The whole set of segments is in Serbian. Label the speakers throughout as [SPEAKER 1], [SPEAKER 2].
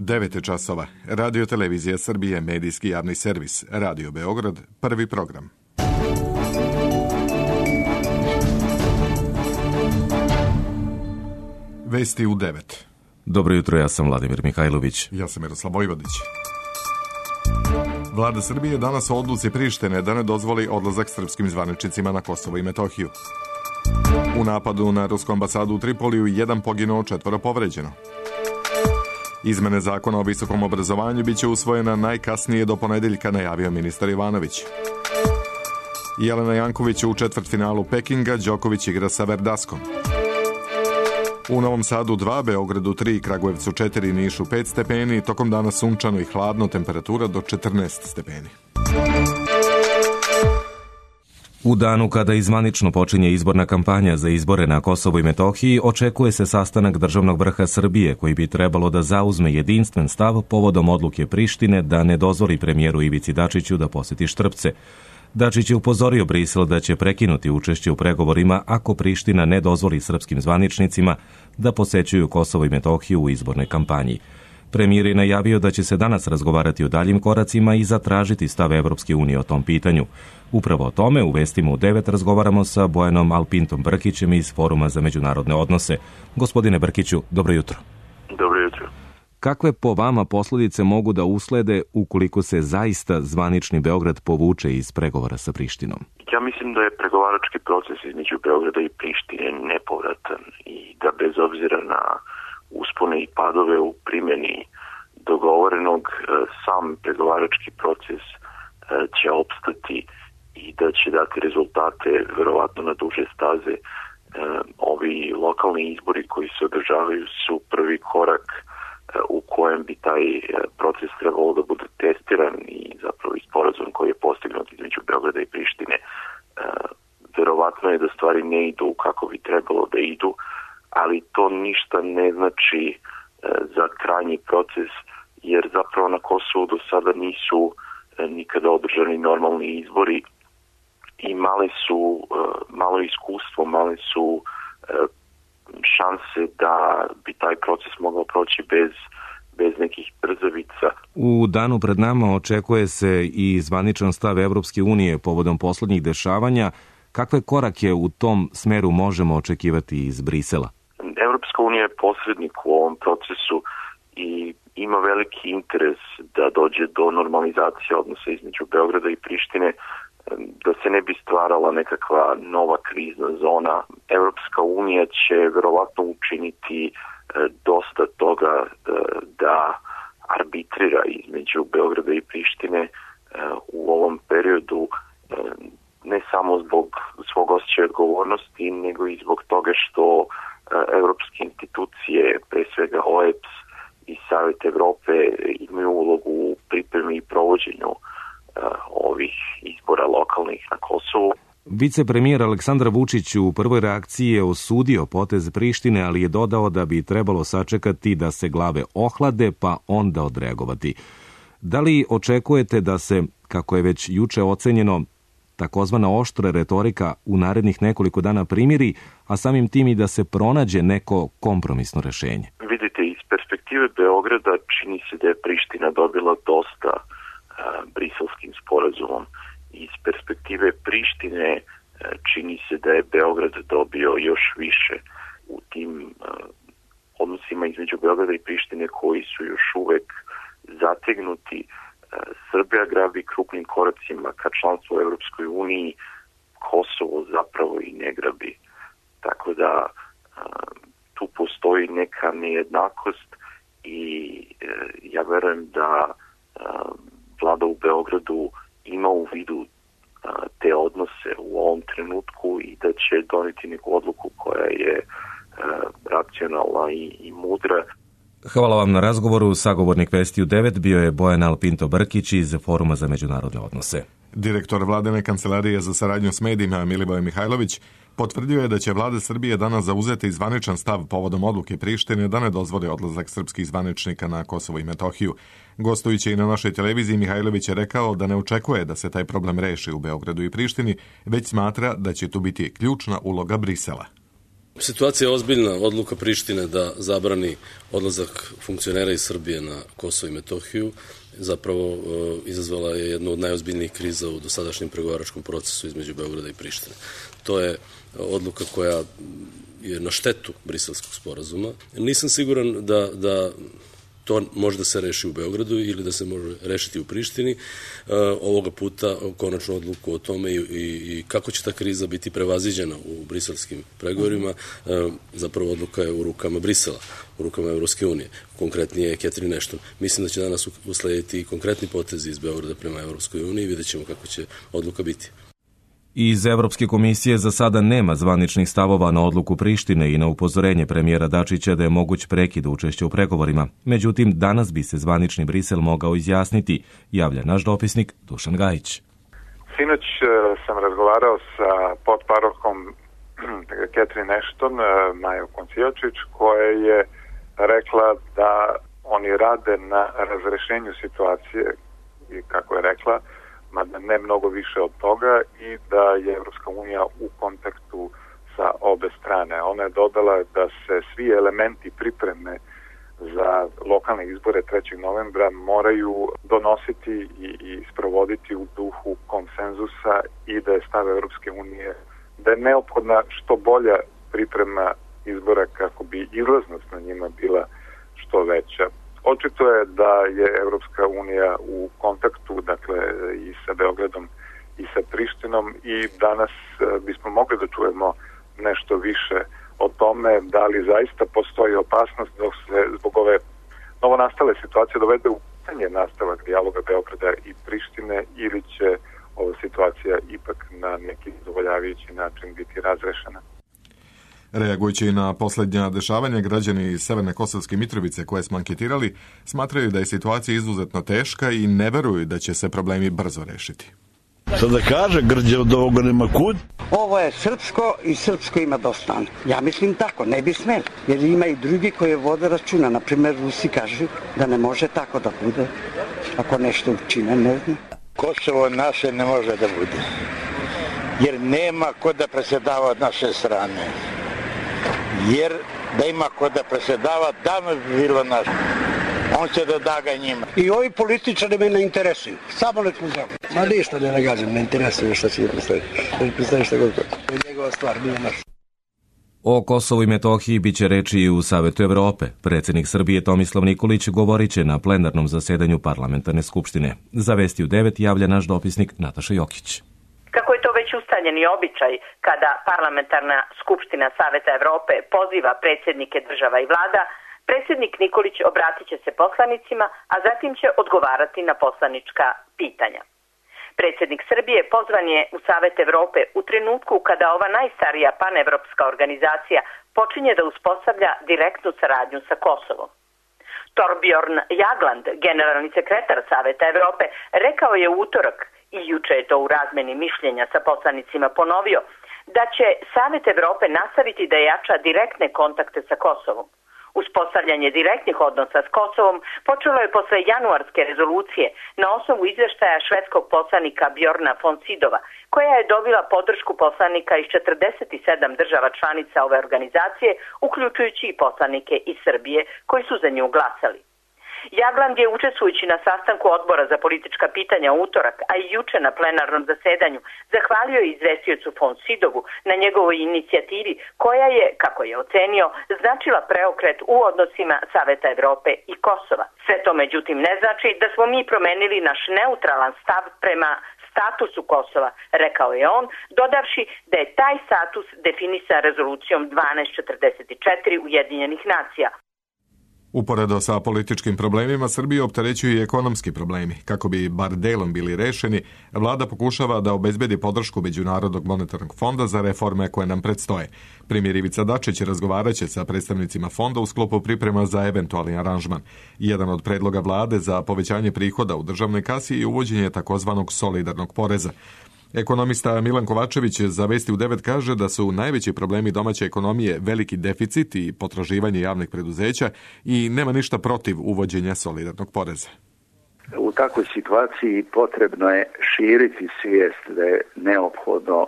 [SPEAKER 1] 9 časova. Radio Televizija Srbije, medijski javni servis. Radio Beograd, prvi program. Vesti u 9.
[SPEAKER 2] Dobro jutro, ja sam Vladimir Mihajlović.
[SPEAKER 1] Ja sam Miroslav Vojvodić. Vlada Srbije danas o odluci Prištine da ne dozvoli odlazak srpskim zvaničnicima na Kosovo i Metohiju. U napadu na rusku ambasadu u Tripoliju 1 poginuo, 4 povređeno. Izmene zakona o visokom obrazovanju biće usvojena najkasnije do ponedeljka, najavio ministar Ivanović. Jelena Janković u četvrtfinalu Pekinga, Đoković igra sa Verdaskom. U Novom Sadu 2, Beogradu 3, Kragujevcu 4, Nišu 5 stepeni, tokom dana sunčano i hladno, temperatura do 14 stepeni.
[SPEAKER 2] U danu kada izvanično počinje izborna kampanja za izbore na Kosovu i Metohiji, očekuje se sastanak državnog vrha Srbije koji bi trebalo da zauzme jedinstven stav povodom odluke Prištine da ne dozvoli premijeru Ivici Dačiću da poseti Štrpce. Dačić je upozorio Brisel da će prekinuti učešće u pregovorima ako Priština ne dozvoli srpskim zvaničnicima da posećuju Kosovo i Metohiju u izbornoj kampanji. Premijer je najavio da će se danas razgovarati o daljim koracima i zatražiti stav Evropske unije o tom pitanju. Upravo o tome u vestima u 9 razgovaramo sa Bojanom Alpintom Brkićem iz Foruma za međunarodne odnose. Gospodine Brkiću, dobro jutro.
[SPEAKER 3] Dobro jutro.
[SPEAKER 2] Kakve po vama posledice mogu da uslede ukoliko se zaista zvanični Beograd povuče iz pregovora sa Prištinom?
[SPEAKER 3] Ja mislim da je pregovarački proces između Beograda i Prištine nepovratan i da bez obzira na uspone i padove u primjeni dogovorenog, sam pregovarački proces će opstati i da će dati rezultate verovatno na duže staze. Ovi lokalni izbori koji se održavaju su prvi korak u kojem bi taj proces trebalo da bude testiran i zapravo i sporazum koji je postignut između Beograda i Prištine. Verovatno je da stvari ne idu kako bi trebalo da idu, ali to ništa ne znači za krajnji proces, jer zapravo na Kosovu do sada nisu nikada održani normalni izbori i malo iskustvo, male su šanse da bi taj proces mogao proći bez nekih brzavica.
[SPEAKER 2] U danu pred nama očekuje se i zvaničan stav Evropske unije povodom poslednjih dešavanja. Kakve korake u tom smeru možemo očekivati iz Brisela?
[SPEAKER 3] Evropska unija je posrednik u ovom procesu i ima veliki interes da dođe do normalizacije odnosa između Beograda i Prištine, da se ne bi stvarala nekakva nova krizna zona. Evropska unija će verovatno učiniti dosta toga da arbitrira između Beograda i Prištine u ovom periodu, ne samo zbog svog osjećaja odgovornosti, nego i zbog toga što evropske institucije, pre svega OEBS i Savet Evrope, imaju ulogu u pripremi i provođenju ovih izbora lokalnih na Kosovu.
[SPEAKER 2] Vicepremijer Aleksandar Vučić u prvoj reakciji je osudio potez Prištine, ali je dodao da bi trebalo sačekati da se glave ohlade pa onda odreagovati. Da li očekujete da se, kako je već juče ocenjeno, takozvana oštra retorika u narednih nekoliko dana primiri, a samim tim i da se pronađe neko kompromisno rešenje?
[SPEAKER 3] Vidite, iz perspektive Beograda čini se da je Priština dobila dosta briselskim sporazumom. Iz perspektive Prištine čini se da je Beograd dobio još više u tim odnosima između Beograda i Prištine koji su još uvek zategnuti. Srbija grabi krupnim koracima ka članstvu u Evropskoj uniji, Kosovo zapravo i ne grabi. Tako da tu postoji neka nejednakost i ja verujem da vlada u Beogradu ima u vidu te odnose u ovom trenutku i da će doneti neku odluku koja je racionalna i mudra.
[SPEAKER 2] Hvala vam na razgovoru. Sagovornik Vesti u 9 bio je Bojan Alpinto Brkić iz Foruma za međunarodne odnose.
[SPEAKER 1] Direktor Vladine kancelarije za saradnju s medijima Milivoje Mihajlović potvrdio je da će vlada Srbije danas zauzeti zvaničan stav povodom odluke Prištine da ne dozvoli odlazak srpskih zvaničnika na Kosovo i Metohiju. Gostujući i na našoj televiziji, Mihajlović je rekao da ne očekuje da se taj problem reši u Beogradu i Prištini, već smatra da će tu biti ključna uloga Brisela.
[SPEAKER 4] Situacija je ozbiljna. Odluka Prištine da zabrani odlazak funkcionera iz Srbije na Kosovo i Metohiju zapravo izazvala je jednu od najozbiljnijih kriza u dosadašnjem pregovaračkom procesu između Beograda i Prištine. To je odluka koja je na štetu Briselskog sporazuma. Nisam siguran da to može da se reši u Beogradu ili da se može rešiti u Prištini. Ovoga puta konačnu odluku o tome i kako će ta kriza biti prevaziđena u briselskim pregovorima, zapravo odluka je u rukama Brisela, u rukama Evropske unije. Konkretnije je Catherine Ashton. Mislim da će danas uslediti konkretni potezi iz Beograda prema Evropskoj uniji i vidjet ćemo kako će odluka biti.
[SPEAKER 2] Iz Evropske komisije za sada nema zvaničnih stavova na odluku Prištine i na upozorenje premijera Dačića da je moguć prekid učešća u pregovorima. Međutim, danas bi se zvanični Brisel mogao izjasniti, javlja naš dopisnik Dušan Gajić.
[SPEAKER 5] Sinoć sam razgovarao sa potparohom Catherine Ashton, Majom Koncijačić, koja je rekla da oni rade na razrešenju situacije i kako je rekla, mada ne mnogo više od toga, i da je Evropska unija u kontaktu sa obe strane. Ona je dodala da se svi elementi pripreme za lokalne izbore 3. novembra moraju donositi i sprovoditi u duhu konsenzusa i da je stav Evropske unije da je neophodna što bolja priprema izbora kako bi izlaznost na njima bila što veća. Očito je da je Evropska unija u kontaktu, dakle, i sa Beogradom i sa Prištinom, i danas bismo mogli da čujemo nešto više o tome da li zaista postoji opasnost da se zbog ove novonastale situacije dovede u pitanje nastavak dijaloga Beograda i Prištine, ili će ova situacija ipak na neki zadovoljavajući način biti razrešena.
[SPEAKER 1] Reagujući na posljednja dešavanja, građani iz Severne Kosovske Mitrovice koje smo anketirali smatraju da je situacija izuzetno teška i ne veruju da će se problemi brzo rešiti.
[SPEAKER 6] Šta da kaže, Grđe od ovoga nema kud?
[SPEAKER 7] Ovo je srpsko i srpsko ima dosta. Ja mislim tako, ne bi smeli. Jer ima i drugi koji vode računa. Naprimer, Rusi kažu da ne može tako da bude. Ako nešto učine, ne znam.
[SPEAKER 6] Kosovo naše ne može da bude. Jer nema ko da presedava od naše strane. Jer da ima ko da presedava, davno bi bilo naše. On će da da ga njima.
[SPEAKER 7] I ovi političari me ne interesuju. Samo nek mu znam. Ma ništa ne nagađam, ne interesuju šta će predstaviti. Ne predstavi šta god. To je njegova stvar, nije naša.
[SPEAKER 2] O Kosovu i Metohiji biće reči i u Savetu Evrope. Predsjednik Srbije Tomislav Nikolić govorit će na plenarnom zasedanju parlamentarne skupštine. Za Vesti u 9 javlja naš dopisnik Nataša Jokić.
[SPEAKER 8] Kako je to već ustaljeni običaj kada parlamentarna skupština Saveta Evrope poziva predsjednike država i vlada, predsjednik Nikolić obratit će se poslanicima, a zatim će odgovarati na poslanička pitanja. Predsjednik Srbije pozvan je u Savet Evrope u trenutku kada ova najstarija panevropska organizacija počinje da uspostavlja direktnu saradnju sa Kosovom. Torbjorn Jagland, generalni sekretar Saveta Evrope, rekao je u utorak, i juče je to u razmeni mišljenja sa poslanicima ponovio, da će Savet Evrope nastaviti da jača direktne kontakte sa Kosovom. Uspostavljanje direktnih odnosa s Kosovom počelo je posle januarske rezolucije na osnovu izveštaja švedskog poslanika Bjorna von Sydowa, koja je dobila podršku poslanika iz 47 država članica ove organizacije, uključujući i poslanike iz Srbije koji su za nju glasali. Jagland je, učestvujući na sastanku odbora za politička pitanja u utorak, a i juče na plenarnom zasedanju, zahvalio izvestiocu von Sydowu na njegovoj inicijativi koja je, kako je ocenio, značila preokret u odnosima Saveta Evrope i Kosova. Sve to međutim ne znači da smo mi promenili naš neutralan stav prema statusu Kosova, rekao je on, dodavši da je taj status definisan rezolucijom 1244 Ujedinjenih nacija.
[SPEAKER 1] Uporedo sa političkim problemima, Srbiju opterećuju i ekonomski problemi. Kako bi bar delom bili rešeni, vlada pokušava da obezbedi podršku Međunarodnog monetarnog fonda za reforme koje nam predstoje. Premijer Ivica Dačić razgovaraće sa predstavnicima fonda u sklopu priprema za eventualni aranžman. Jedan od predloga vlade za povećanje prihoda u državnoj kasi je uvođenje takozvanog solidarnog poreza. Ekonomista Milan Kovačević za Vesti u 9 kaže da su najveći problemi domaće ekonomije veliki deficit i potraživanje javnih preduzeća i nema ništa protiv uvođenja solidarnog poreza.
[SPEAKER 9] U takvoj situaciji potrebno je širiti svijest da je neophodno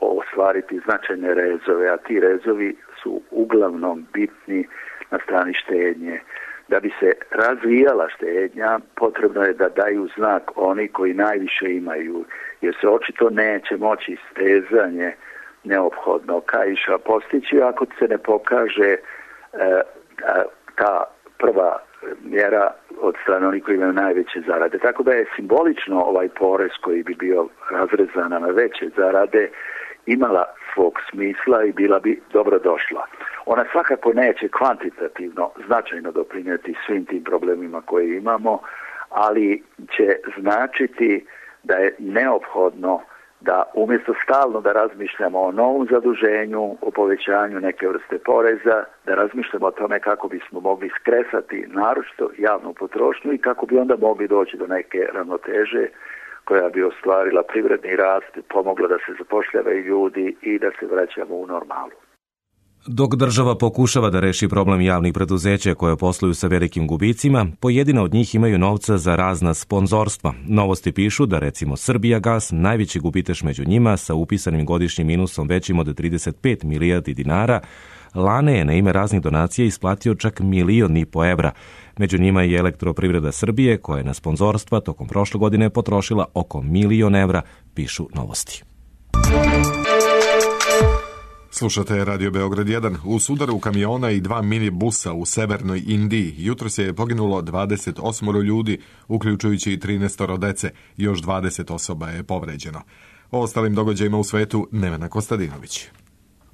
[SPEAKER 9] ostvariti značajne rezove, a ti rezovi su uglavnom bitni na strani štednje. Da bi se razvijala štednja, potrebno je da daju znak oni koji najviše imaju, jer se očito neće moći stezanje neophodno kaiša postići ako se ne pokaže ta prva mjera od strane onih koji imaju najveće zarade. Tako da je simbolično ovaj porez koji bi bio razrezan na veće zarade imala svog smisla i bila bi dobro došla. Ona svakako neće kvantitativno značajno doprinijeti svim tim problemima koje imamo, ali će značiti da je neophodno da umjesto stalno da razmišljamo o novom zaduženju, o povećanju neke vrste poreza, da razmišljamo o tome kako bismo mogli skresati naročito javnu potrošnju i kako bi onda mogli doći do neke ravnoteže koja bi ostvarila privredni rast, pomogla da se zapošljavaju ljudi i da se vraćamo u normalu.
[SPEAKER 2] Dok država pokušava da reši problem javnih preduzeća koje posluju sa velikim gubicima, pojedina od njih imaju novca za razna sponzorstva. Novosti pišu da recimo Srbijagas, najveći gubitaš među njima sa upisanim godišnjim minusom većim od 35 milijardi dinara, lane je na ime raznih donacija isplatio čak 1,5 miliona evra. Među njima i Elektroprivreda Srbije, koja je na sponzorstva tokom prošle godine potrošila oko 1 milion evra, pišu Novosti.
[SPEAKER 1] Slušate Radio Beograd 1. U sudaru kamiona i 2 minibusa u severnoj Indiji jutros je poginulo 28 ljudi, uključujući i 13 dece. Još 20 osoba je povređeno. O ostalim događajima u svetu Nevena Kostadinović.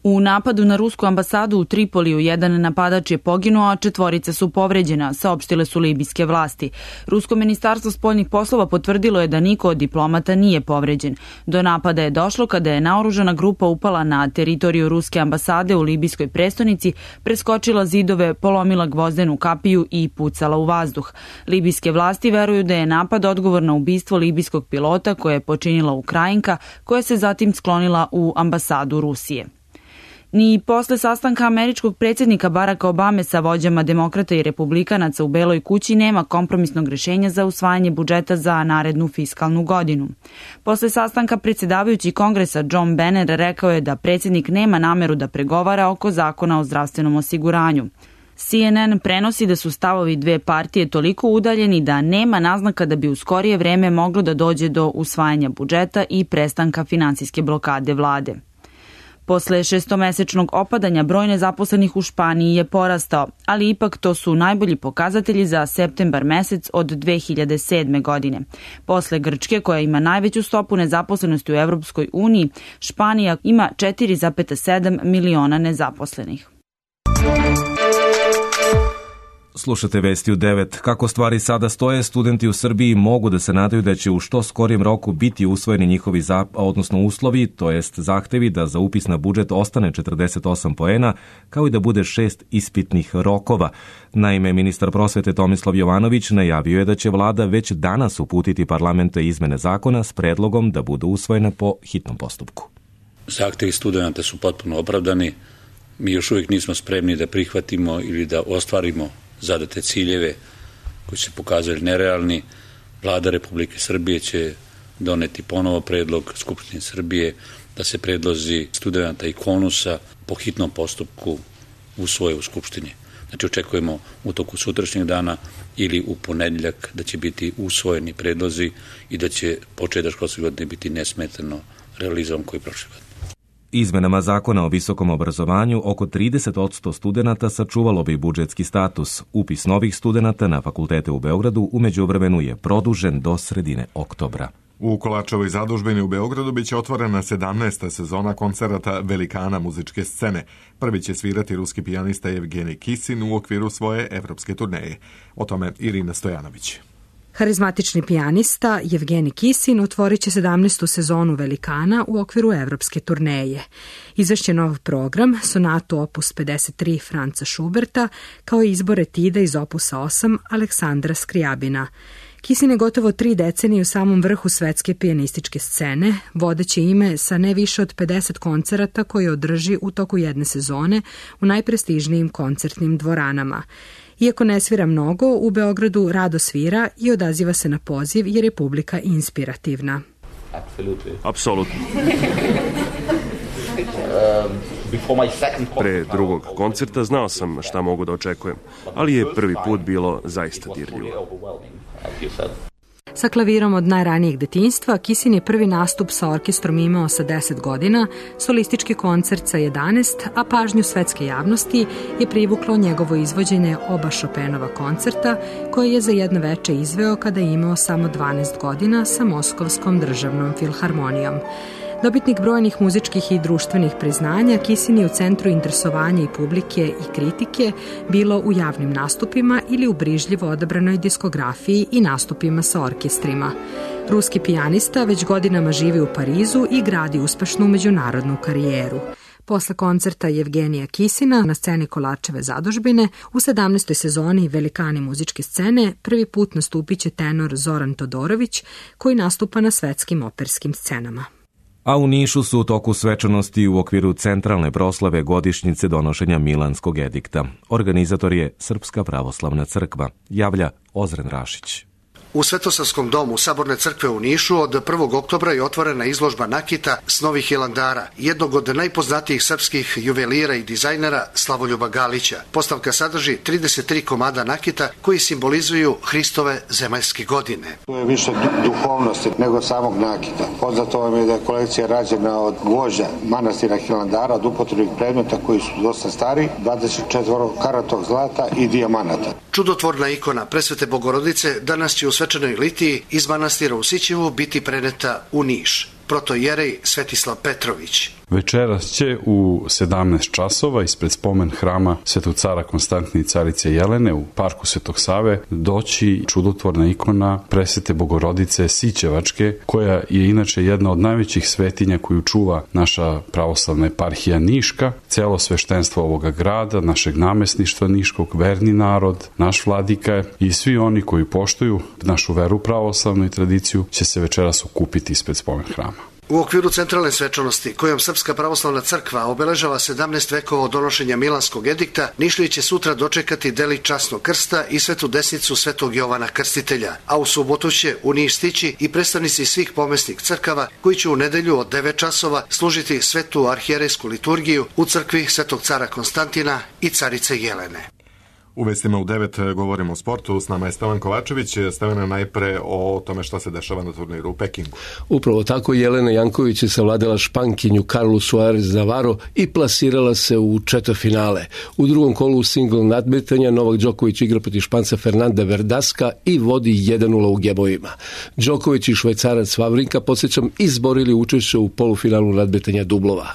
[SPEAKER 10] U napadu na rusku ambasadu u Tripoliju jedan napadač je poginuo, a 4 su povređena, saopštile su libijske vlasti. Rusko ministarstvo spoljnih poslova potvrdilo je da niko od diplomata nije povređen. Do napada je došlo kada je naoružana grupa upala na teritoriju ruske ambasade u libijskoj prestonici, preskočila zidove, polomila gvozdenu kapiju i pucala u vazduh. Libijske vlasti veruju da je napad odgovor na ubistvo libijskog pilota koje je počinila Ukrajinka, koja se zatim sklonila u ambasadu Rusije. Ni posle sastanka američkog predsjednika Baracka Obame sa vođama demokrata i republikanaca u Beloj kući nema kompromisnog rješenja za usvajanje budžeta za narednu fiskalnu godinu. Posle sastanka predsjedavajući Kongresa John Boehner rekao je da predsjednik nema nameru da pregovara oko zakona o zdravstvenom osiguranju. CNN prenosi da su stavovi dve partije toliko udaljeni da nema naznaka da bi u skorije vreme moglo da dođe do usvajanja budžeta i prestanka finansijske blokade vlade. Posle 6-mesečnog opadanja broj nezaposlenih u Španiji je porastao, ali ipak to su najbolji pokazatelji za septembar mesec od 2007. godine. Posle Grčke, koja ima najveću stopu nezaposlenosti u Evropskoj uniji, Španija ima 4,7 miliona nezaposlenih.
[SPEAKER 2] Slušate vesti u 9. Kako stvari sada stoje, studenti u Srbiji mogu da se nadaju da će u što skorijem roku biti usvojeni njihovi uslovi, to jest zahtevi da za upis na budžet ostane 48 poena, kao i da bude 6 ispitnih rokova. Naime, ministar prosvete Tomislav Jovanović najavio je da će vlada već danas uputiti parlamentu izmene zakona s predlogom da budu usvojene po hitnom postupku.
[SPEAKER 11] Zahtevi studenta su potpuno opravdani. Mi još uvijek nismo spremni da prihvatimo ili da ostvarimo zadate ciljeve koji se pokazali nerealni. Vlada Republike Srbije će doneti ponovo predlog Skupštine Srbije da se predlozi studenta i KONUS-a po hitnom postupku usvoje u Skupštini. Znači očekujemo u toku sutrašnjeg dana ili u ponedjeljak da će biti usvojeni predlozi i da će početak školske godine biti nesmetano realizovan koji prošle godine.
[SPEAKER 2] Izmenama zakona o visokom obrazovanju oko 30% studenata sačuvalo bi budžetski status. Upis novih studenata na fakultete u Beogradu u međuvremenu je produžen do sredine oktobra.
[SPEAKER 1] U Kolačevoj zadužbini u Beogradu biće otvorena 17. sezona koncerata velikana muzičke scene. Prvi će svirati ruski pijanista Evgenij Kisin u okviru svoje evropske turneje. O tome Irina Stojanović.
[SPEAKER 12] Harizmatični pijanista Evgenij Kisin otvorit će 17. sezonu velikana u okviru evropske turneje. Izvešće nov program, sonatu opus 53 Franca Schuberta, kao i izbor etida iz opusa 8 Aleksandra Skrijabina. Kisin je gotovo 3 decenije u samom vrhu svetske pijanističke scene, vodeće ime sa ne više od 50 koncerata koje održi u toku jedne sezone u najprestižnijim koncertnim dvoranama. Iako ne svira mnogo, u Beogradu rado svira i odaziva se na poziv jer je publika inspirativna.
[SPEAKER 13] Apsolutno. Pre drugog koncerta znao sam šta mogu da očekujem, ali je prvi put bilo zaista dirljivo.
[SPEAKER 12] Sa klavirom od najranijeg detinjstva, Kisin je prvi nastup sa orkestrom imao sa 10 godina, solistički koncert sa 11, a pažnju svetske javnosti je privuklo njegovo izvođenje oba Chopinova koncerta, koje je za jedno veče izveo kada je imao samo 12 godina sa Moskovskom državnom filharmonijom. Dobitnik brojnih muzičkih i društvenih priznanja, Kisin je u centru interesovanja i publike i kritike, bilo u javnim nastupima ili u brižljivo odabranoj diskografiji i nastupima sa orkestrima. Ruski pijanista već godinama živi u Parizu i gradi uspešnu međunarodnu karijeru. Posle koncerta Jevgenija Kisina na sceni Kolarčeve zadužbine u 17. sezoni Velikani muzičke scene prvi put nastupit će tenor Zoran Todorović, koji nastupa na svetskim operskim scenama.
[SPEAKER 2] A u Nišu su u toku svečanosti u okviru centralne proslave godišnjice donošenja Milanskog edikta. Organizator je Srpska pravoslavna crkva, javlja Ozren Rašić.
[SPEAKER 14] U Svetosavskom domu Saborne crkve u Nišu od 1. oktobra je otvorena izložba nakita s Novih Hilandara, jednog od najpoznatijih srpskih juvelira i dizajnera Slavoljuba Galića. Postavka sadrži 33 komada nakita koji simbolizuju Hristove zemaljske godine.
[SPEAKER 15] To je više duhovnosti nego samog nakita. Poznato vam je da je kolekcija rađena od gvožđa manastira Hilandara, od upotrebnih predmeta koji su dosta stari, 24 karatog zlata i dijamanata.
[SPEAKER 14] Čudotvorna ikona Presvete Bogorodice danas će u svečanoj litiji iz manastira u Sićevu biti preneta u Niš. Protojerej Svetislav Petrović.
[SPEAKER 16] Večeras će u 17 časova ispred spomen hrama Svetog cara Konstantina i carice Jelene u parku Svetog Save doći čudotvorna ikona Presvete Bogorodice Sićevačke, koja je inače jedna od najvećih svetinja koju čuva naša pravoslavna eparhija Niška, celo sveštenstvo ovoga grada, našeg namesništva Niškog, verni narod, naš vladika i svi oni koji poštuju našu veru pravoslavnu i tradiciju će se večeras okupiti ispred spomen hrama.
[SPEAKER 14] U okviru centralne svečanosti, kojom Srpska pravoslavna crkva obeležava 17 vekova od donošenja Milanskog edikta, Nišlije će sutra dočekati delić časnog krsta i svetu desnicu Svetog Jovana Krstitelja, a u subotu će u Niš stići i predstavnici svih pomesnih crkava koji će u nedelju od 9 časova služiti svetu arhijerejsku liturgiju u crkvi Svetog cara Konstantina i carice Jelene.
[SPEAKER 1] U vestima u 9 govorimo o sportu, s nama je Stevan Kovačević. Stevana, najpre o tome šta se dešava na turniru u Pekingu.
[SPEAKER 17] Upravo tako, Jelena Janković je savladala Špankinju Carlu Suarez Navarro i plasirala se u četvrtfinale. U drugom kolu singl nadmetanja Novak Đoković igra protiv Španca Fernanda Verdaska i vodi 1-0 u gebojima. Đoković i Švajcarac Vavrinka, podsjećam, izborili učešće u polufinalu nadmetanja dublova.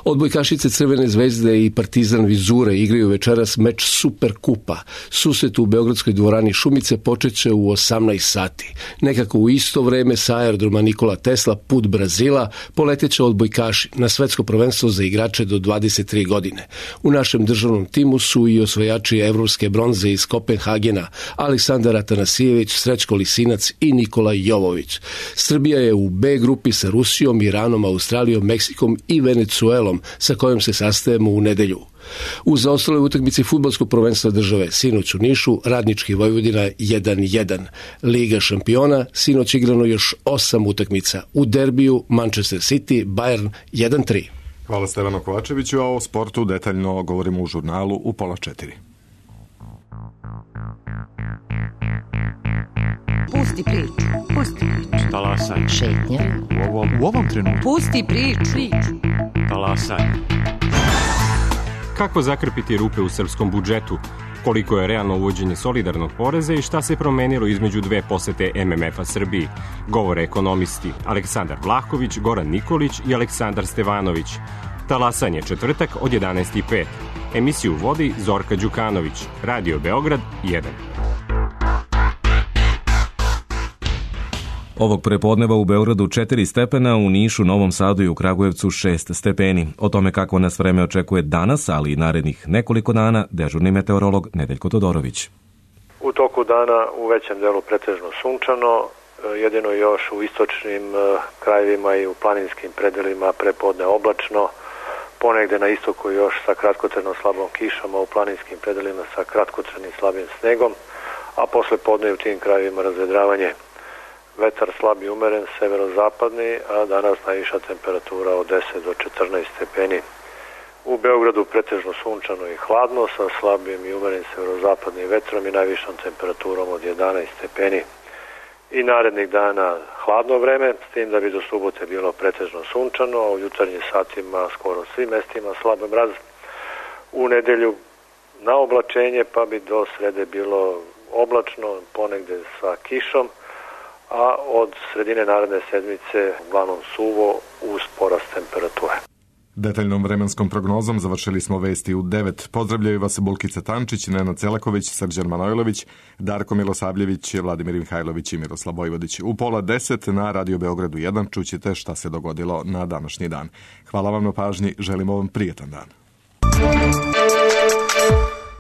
[SPEAKER 17] Odbojkašice Crvene zvezde i Partizan Vizure igraju večeras meč Super Kupa. Susret u Beogradskoj dvorani Šumice počeće u 18 sati. Nekako u isto vreme sa aerodroma Nikola Tesla put Brazila poleteće odbojkaši na svetsko prvenstvo za igrače do 23 godine. U našem državnom timu su i osvajači evropske bronze iz Kopenhagena, Aleksandar Atanasijević, Srećko Lisinac i Nikola Jovović. Srbija je u B grupi sa Rusijom, Iranom, Australijom, Meksikom i Venecuelom, sa kojom se sastajemo u nedelju. U zaostaloj utakmici fudbalskog prvenstva države sinoć u Nišu Radnički Vojvodina 1-1. Liga šampiona sinoć igrano još 8 utakmica. U derbiju Manchester City Bayern 1-3.
[SPEAKER 1] Hvala Stevanu Kovačeviću, a o sportu detaljno govorimo u žurnalu u 3:30.
[SPEAKER 18] Pusti priču.
[SPEAKER 19] Talasaj.
[SPEAKER 18] Šetnja.
[SPEAKER 19] U ovom trenutku.
[SPEAKER 18] Pusti priču.
[SPEAKER 19] Talasaj. Kako zakrpiti rupe u srpskom budžetu? Koliko je realno uvođenje solidarnog poreza i šta se promenilo između dve posete MMF-a Srbiji? Govore ekonomisti Aleksandar Vlahović, Goran Nikolić i Aleksandar Stevanović. Talasanje četvrtak od 11:05. Emisiju vodi Zorka Đukanović. Radio Beograd 1.
[SPEAKER 2] Ovog prepodneva u Beogradu 4 stepena, u Nišu, Novom Sadu i u Kragujevcu 6 stepeni. O tome kako nas vreme očekuje danas, ali i narednih nekoliko dana, dežurni meteorolog Nedeljko Todorović.
[SPEAKER 20] U toku dana u većem delu pretežno sunčano, jedino još u istočnim krajevima i u planinskim predelima prepodne oblačno, ponegde na istoku još sa kratkotrajnom slabom kišama, u planinskim predelima sa kratkotrajnim slabim snegom, a posle podne u tim krajevima razvedravanje. Vetar slab i umeren, severozapadni, a danas najviša temperatura od 10 do 14 stepeni. U Beogradu pretežno sunčano i hladno sa slabim i umerenim severozapadnim vetrom i najvišom temperaturom od 11 stepeni. I narednih dana hladno vreme, s tim da bi do subote bilo pretežno sunčano, a u jutarnjim satima skoro svim mestima slab mraz. U nedelju na oblačenje, pa bi do srede bilo oblačno, ponegde sa kišom, a od sredine naredne sedmice uglavnom suvo uz porast temperature.
[SPEAKER 1] Detaljnom vremenskom prognozom završili smo vesti u 9. Pozdravljaju vas Bulkica Tančić, Nenad Celaković, Srđan Manojlović, Darko Milosavljević, Vladimir Mihajlović i Miroslav Vojvodić. U 9:30 na Radio Beogradu 1 čućete šta se dogodilo na današnji dan. Hvala vam na pažnji, želimo vam prijetan dan.